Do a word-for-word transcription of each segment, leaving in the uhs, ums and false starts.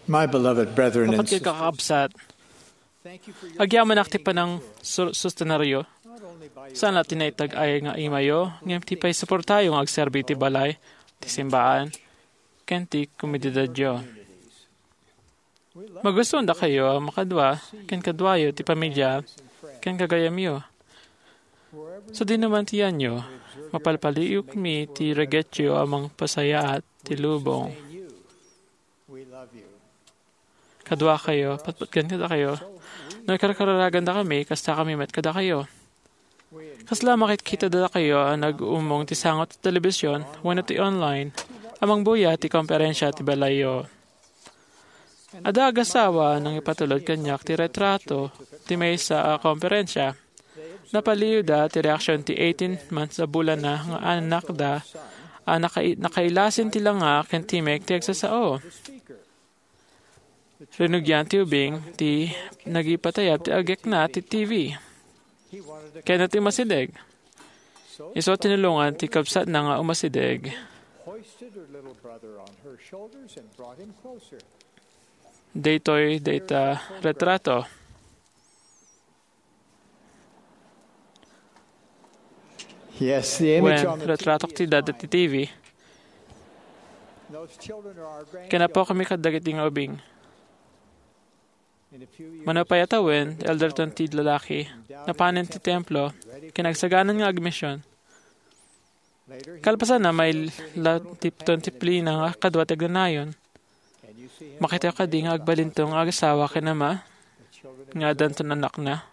My beloved brethren and Kapatid, sisters, kakabsat, agyamanak ti panang su-, susteneryo. Saan la ti naitag-ay nga imayo, ngem ti paisuportayo nga agserbi ti balay, ti simbahan, ken ti komunidadyo. Magustuan dakayo a makadua ken kaduayo ti pamilya ken gagayyemyo. Sadinoman ti yanyo, mapalpaliiwmi ti reggetyo a mangpasayaat ti lubong. Kaduakayo, patpatgen kadakayo. No ikarkararagandakami, kastakami met kadakayo. Kasla makitkitada dakayo a nag-uumong ti sango ti telebision wenno ti online a mangbuya ti komperensia ti balayyo. Adda agasawa a nangipatulod kaniak ti retrato ti maysa a komperensia. Napaliiwda ti reaksion ti eighteen months a bulanna nga anakda a nakai-, nakailasin ti langa ken timek ti agsasao. Rinugian ti ubing ti nagipatayab ti agekna ti T V. Kayatna ti umasideg. Isu a tinulongan ti kabsatna nga umasideg. Daytoy dayta retrato. Yes, the image Wen, on the retratok ti dad iti T V. Ken apokami kadagiti nga ubing. Mano pay a tawen, Elder Ton ti lalaki, napanen ti templo, ken agsaganan nga agmision. Kalpasanna, maila ti, ton ti plina nga kadua ti agnanayon. Makitayo kadi nga agbalintong nga agasawa ken ama, nga addanton annakna.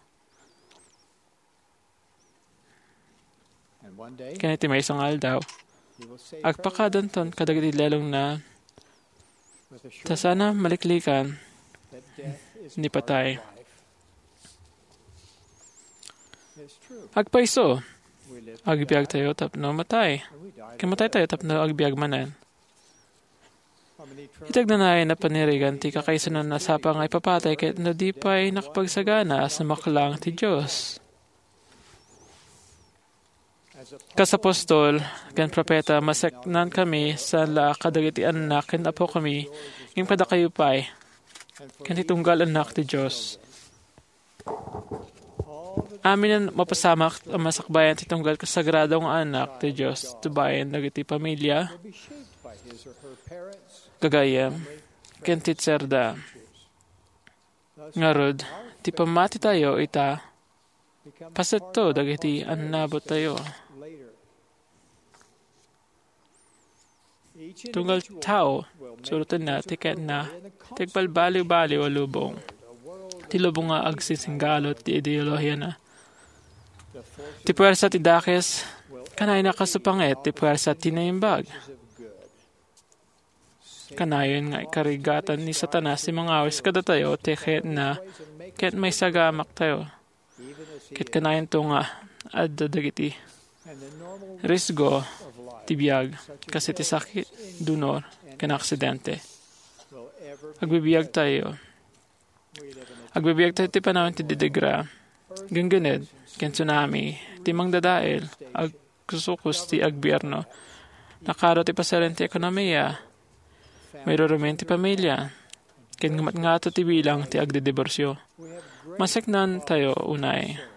Ken iti maysa nga aldaw, agpakadanton kadagiti lelongna ta sana maliklikan ni patay. Agpayso, agbiagtayo tapno matay, ken mataytayo tapno agbiag manen. Iti agnanayon a panirigan ti kakaisuna a sapa nga ipapatay ket no di pay nakapagsagana a sumaklang ti Dios. Kas apostol ken propeta, maseknankami saan la kadagiti annak ken apokami, ngem kadakayo pay, ken ti tunggal annak ti Dios. Amin a mapasamak a masakbayan ti tunggal ket sagrado nga annak ti Dios tubayen dagiti pamilia, gagayyem, ken teacherda. Ngarud, ti pammatitayo ita, pasetto dagiti annabottayo. Tunggal tao, surotenna ti kayatna ti agbalbaliwbaliw a lubong. Ti lubong nga agsisinggalut ti ideolohiana. Ti puwersa ti dakes, kanayonna a kasupanget ti puwersa ti naimbag. Kanayon nga ikarigatan ni Satanas ti mangawis kadatayo ti kayatna ket maisagamaktayo. Ket kanayonto nga adda dagiti risgo ti biag, kas iti sakit, dunor, ken aksidente. Agbibiagtayo. Agbibiagtayo ti panawen ti didigra, genggened, ken tsunami, ti mangdadael, agkusukus ti agbierno, nakaro ti pasaren ti ekonomia, mairurumen ti pamilya, ken ngumatngato ti bilang ti agdidiborsio. Maseknantayo unay.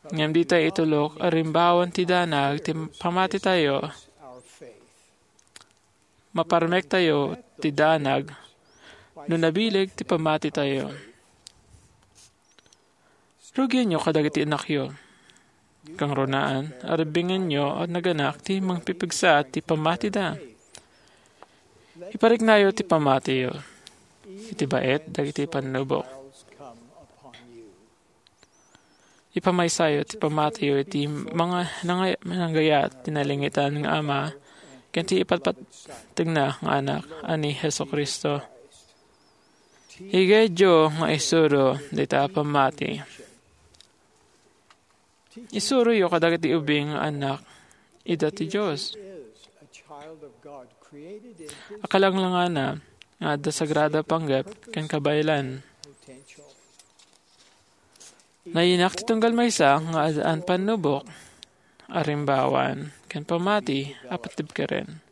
Ngem ditay itulok a rimbawan ti danag ti pamatitayo. Maparmektayo ti danag no nabileg ti pamatitayo. Rugienyo kadagiti annakyo. Kangrunaan, arebbingenyo a naganak ti mangpipigsa ti pamatida. Ipariknayo ti pamatiyo iti baet dagiti pannubok. Ipamaysayo ti pamatiyo iti manga-, nangay-, nanggayat ti nalingitan nga Ama ken ti ipatpattegna nga Anak a ni Jesu-Cristo. Igayatyo nga isuro dayta a pammati. Isuroyo kadagiti ubing nga annak ida ti Dios. Akalanglangana nga adda sagrado a panggep ken kabaelan. Nayanak ti tunggal maysa nga addaan pannubok, arimbawan, ken pammati a patibkeren.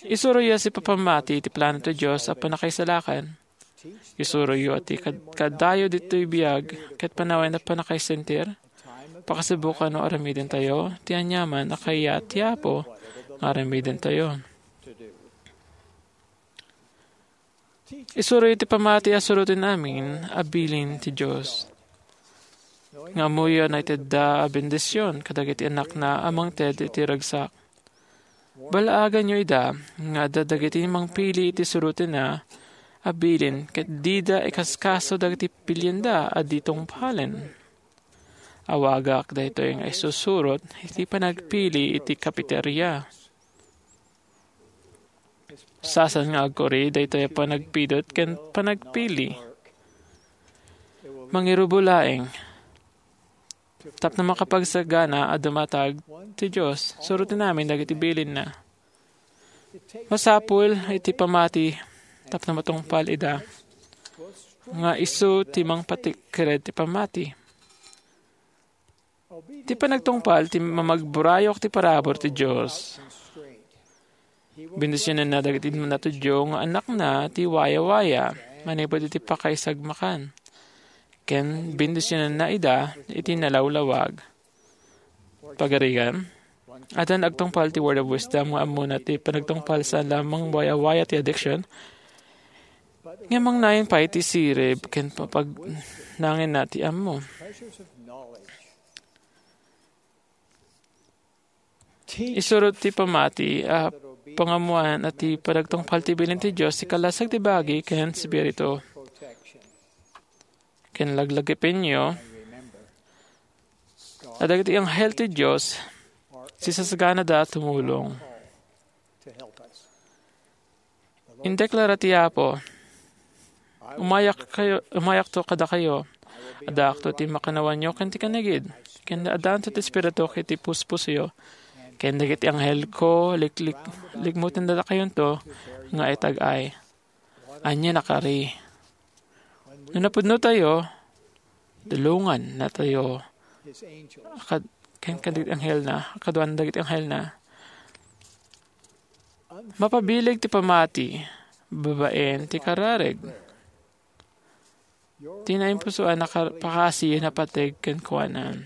Isuroyo a sipapammati iti plano ti Dios a pannakaisalakan. Isuroyo a ti kad-, kaddayo ditoy biag ket panawen a pannakaisentir. Pakasubokan no aramidentayo ti aniaman a kayat ti Apo nga aramidentayo. Isuroyo ti pammati a suroten amin a bilin ti Dios. Nga ammoyo a naitedda a bendision kadagiti annakna a mangted iti ragsak. Balaaganyo ida nga adda dagiti mangpili iti surotenna a bilin ket dida ikaskaso dagiti pilienda a di tungpalen. Awagak daytoy nga isusurot iti panagpili iti kapiteria. Saan nga agkuri daytoy a panagpidut ken panagpili. Mangirubo laeng. Tapno makapagsagana a dumatag ti Dios, suroten amin dagiti bilinna. Masapul iti pammati tapno matungpal ida nga isu ti mangpatikkered ti pammati. Ti panagtungpal ti mamagburayok ti parabur ti Dios. Bendisionenna dagiti natudyo nga annakna ti wayawaya manipud iti pakaisagmakan. Ken bendisionenna ida iti nalawlawag. Pagarigan, addan agtungpal ti Word of Wisdom nga ammona ti panagtungpal saan lamang wayawaya ti addiction, ngem mangnayon pay ti sirib ken papagnangenna ti ammo. Isurot ti pammati a pangammoan a ti panagtungpal ti bilin ti Dios ti kalasag ti bagi ken spiritu. Ken laglagipenyo a dagiti anghel ti Dios, sisasaganada a tumulong. Indeklara ti Apo, "Umayak kayo, umayakto kadakayo. Addaakto ti makannawanyo ken ti kanigid. Ken addanto ti Espirituk iti puspusoyo. Ken dagiti anghelko, liklik-, likmuten dakayonto nga itag-ay." Ania nakari? No napudnotayo, tulongannatayo. Akad-, ken kadagiti anghelna, kaduan dagiti anghelna. Mapabileg ti pammati, babaen ti kararag. Ti naimpusoan a kar-, pakasi napateg kenkuana.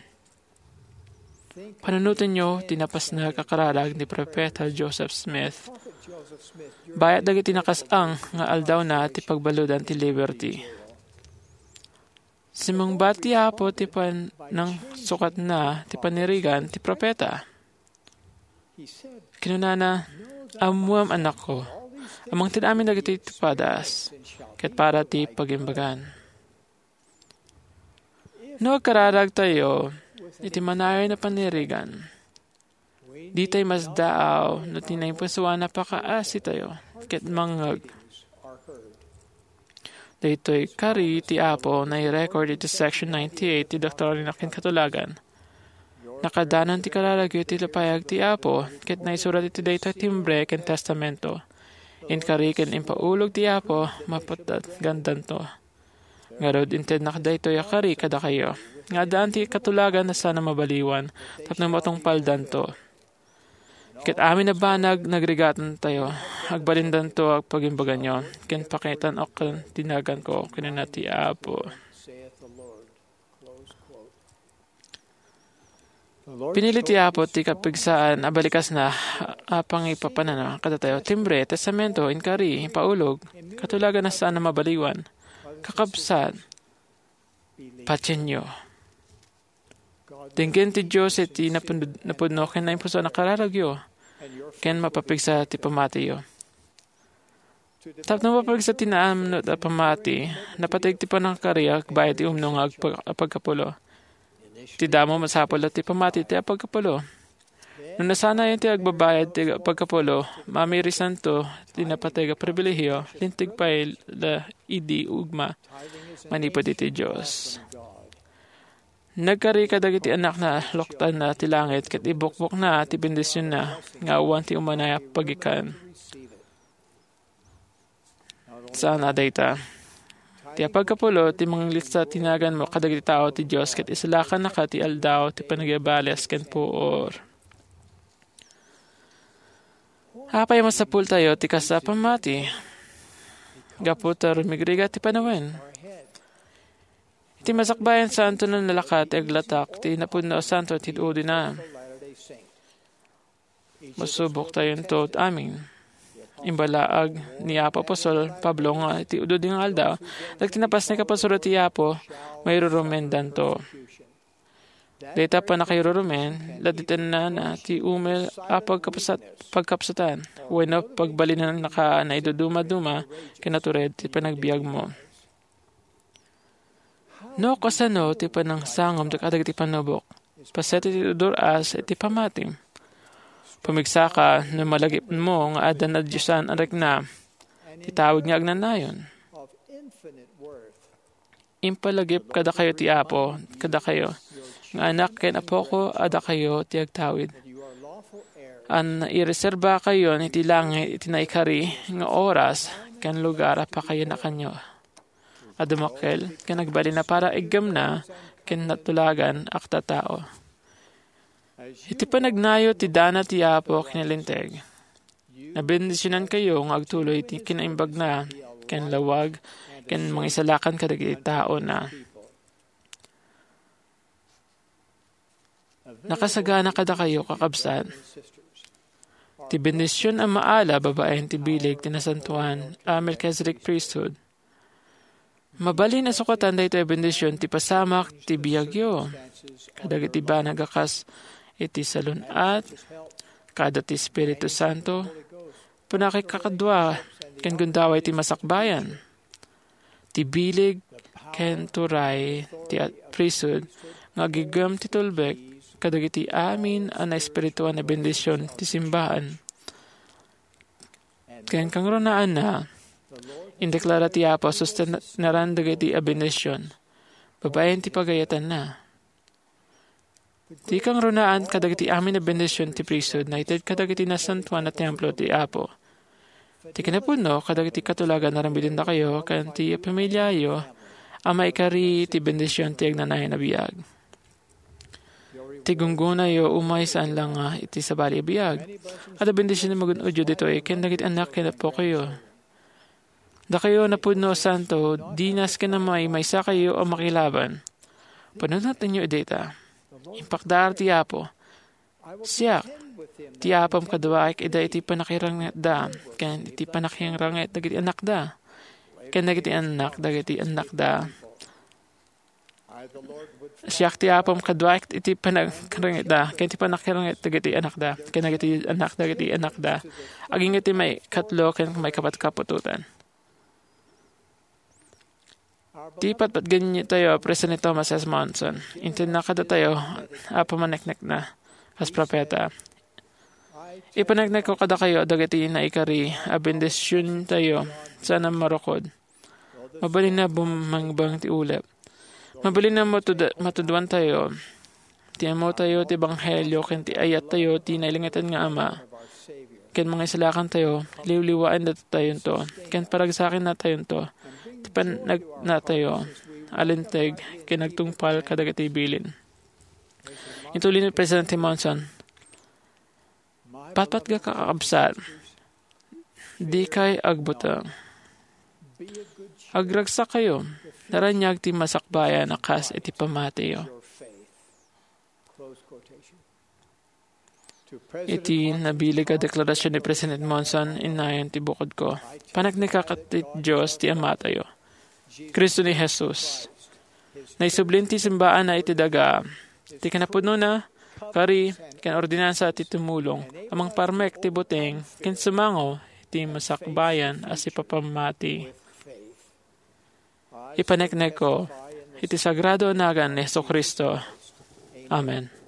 Panunotenyo ti napasnag a kararag ni Profeta Joseph Smith. Bayat dagiti nakas-ang nga aldawna ti pagbaludan ti Liberty. Simmungbat ti Apo ti panangsukatna ti panirigan ti profeta. Kinunana, "Ammoam, anakko, a mangted amin dagiti tupadas, ket para ti pagimbagan." No agkararagtayo iti manayon a panirigan, ditay masdaaw no ti naimpusoan a pakaasitayo ket mangngeg. Daytoy kari ti Apo nairecord iti Section ninety-eight ti Doktrina ken Katulagan. Nakadanon ti kararagyo iti lapayag ti Apo, ket naisurat iti daytoy timbre ken testamento. Inkari ken impaulog ti Apo, mapatgandanto. Ngarud, intednak daytoy a kari kadakayo, nga addaan ti katulagan a saan a mabaliwan, tapno matungpaldanto. Ket amin a banag, nagrigatantayo, agbalindanto a pagimbaganyo, ken pakitan-ok ti naganko, kinuna ti Apo. Pinili ti Apo ti kapigsaan a balikasna a pangipapanana kadatayo. Timbre, testamento, inkari, impaulog, katulagan a saan a mabaliwan. Kakabsat, patienyo. Denggen ti Dios iti napun-, napudno ken naimpusoan a kararagyo, ken mapapigsa ti pamatiyo. Tapno mapigsa ti naamnot a pamati, napateg ti panangkari agbayad ti umno nga agpa-, apagkapulo. Ti damo, masapul a ti pamati ti apagkapulo. No nasanayon ti agbabayad ti apagkapulo, mamirisanto ti napateg a pribilehiyo, linteg pay la idi ugma manipud iti Dios. Nagkari kadagiti annakna, loktanna ti langit, ket ibukbokna ti bendisionna nga awan ti umanayo a pagikan. Saan a dayta. Ti apagkapulo, ti manglitsa ti naganmo kadagiti tao ti Dios, ket isalakannaka ti aldaw ti panagibales ken puor. Apay a masapultayo ti kasta a pammati? Gapu ta rumigrigat ti panawen. Iti masakbayan, saanto a nalakat ti aglatak ti napudno a santo iti udina. Masuboktayonto amin. Imbalaag ni Apo Apostol Pablo nga iti ududi nga aldaw, dagiti napasnek a pasurot ti Apo, mairurumendanto. Dayta pannakairurumen, laditennana ti umel a pagkapsat-, pagkapsatan, wenno pagbalinannaka a naiduduma-duma ken natured ti panagbiagmo. No kasano ti panangsangom kadagiti panubok? Paset iti udur-as iti pammatim. Pumigsaka no malagipmo nga adda nadiosan a rikna ti tawid nga agnanayon. Impalagip kadakayo ti Apo, kadakayo, nga anak ken apoko a dakayo ti agtawid. An ireserbakayon iti langit iti naikari nga oras ken lugar a pakayanakanyo a dummakkel ken agbalin a para iggemna ken natulagan a tattao. Iti panagnayo ti dana ti Apo ken Linteg, nabendisionankayo nga agtuloy ti kinaimbagna ken lawag ken mangisalakan kadagiti taona. Nakasagana kadakayo, kakabsat, ti bendision a maala babaen ti bileg ti nasantoan a Melchizedek Priesthood. Mabalin a sukatan daytoy a bendision ti pasamak ti biagyo kadagiti banag a kas iti salun-at, kada ti Espiritu Santo, pannakikadua ken gundaway ti masakbayan. Ti bileg ken turay ti at-, priesthood nga agiggem ti tulbek kadagiti amin a naespirituan a bendision ti simbaan. Ken kangrunaanna, indeklara ti Apo a sustenaran dagiti a bendision babaen ti pagayatanna. Ti kangrunaan kadagiti amin a bendision ti priesthood naited kadagiti nasantoan a templo ti Apo. Ti kinapudno kadagiti katulagan a ramidendakayo ken ti pamiliayo a maikari ti bendision ti agnanayon a biag. Ti gunggonayo umay saan la nga iti sabali a biag. Adda bendision a magun-odyo ditoy ken dagiti annak ken appokayo. Dakayo a napudno a santo, dinas ken a maymaysakayo a makilaban. Panunotenyo dayta. Impakdaar ti Apo. Siak, ti Apom kaduaek ida iti pannakirangitda, ken iti pannakirangit dagiti annakda, ken dagiti annak dagiti annakda. Siak ti Apom kaduaek iti pannakirangitda, ken iti pannakirangit dagiti annakda, ken dagiti annak dagiti annakda. Agingga ti maikatlo ken maikapat a kaputotan. Ti patpatgenyo tayo a President Thomas S. Monson, intedna kadatayo a pamaneknekna kas propeta. Ipaneknekko kadakayo dagiti naikari a bendision tayo saan a marukod. Mabalin a bumangbang ti ulep. Mabalin a matud-, matuduan tayo. Ti ammo tayo ti ebanghelio ken ti ayat tayo ti nailingatan nga Ama. Ken mangisalakan tayo, liwliwaen datayo, ken paragsaken natayo, ti panagna tayo, alinteg, ken agtungpal kadagiti bilin. Intuli ni Presidente Monson, patpatgak a kakabsat, dikay agbuteng. Agragsakayo, naraniag ti masakbayan a kas iti pammatiyo. Iti nabileg a deklarasion ni President Monson, innayon ti bukodko. Paneknekak ti Dios ti Amatayo. Cristo ni Jesus. Naisublin ti simbaanna iti daga. Ti kinapudnona, kari, ken ordinansa ti tumulong a mangparmek ti buteng ken sumango iti masakbayan a sipapammati. Ipaneknekko iti sagrado a nagan ni Jesu-Cristo. Amen.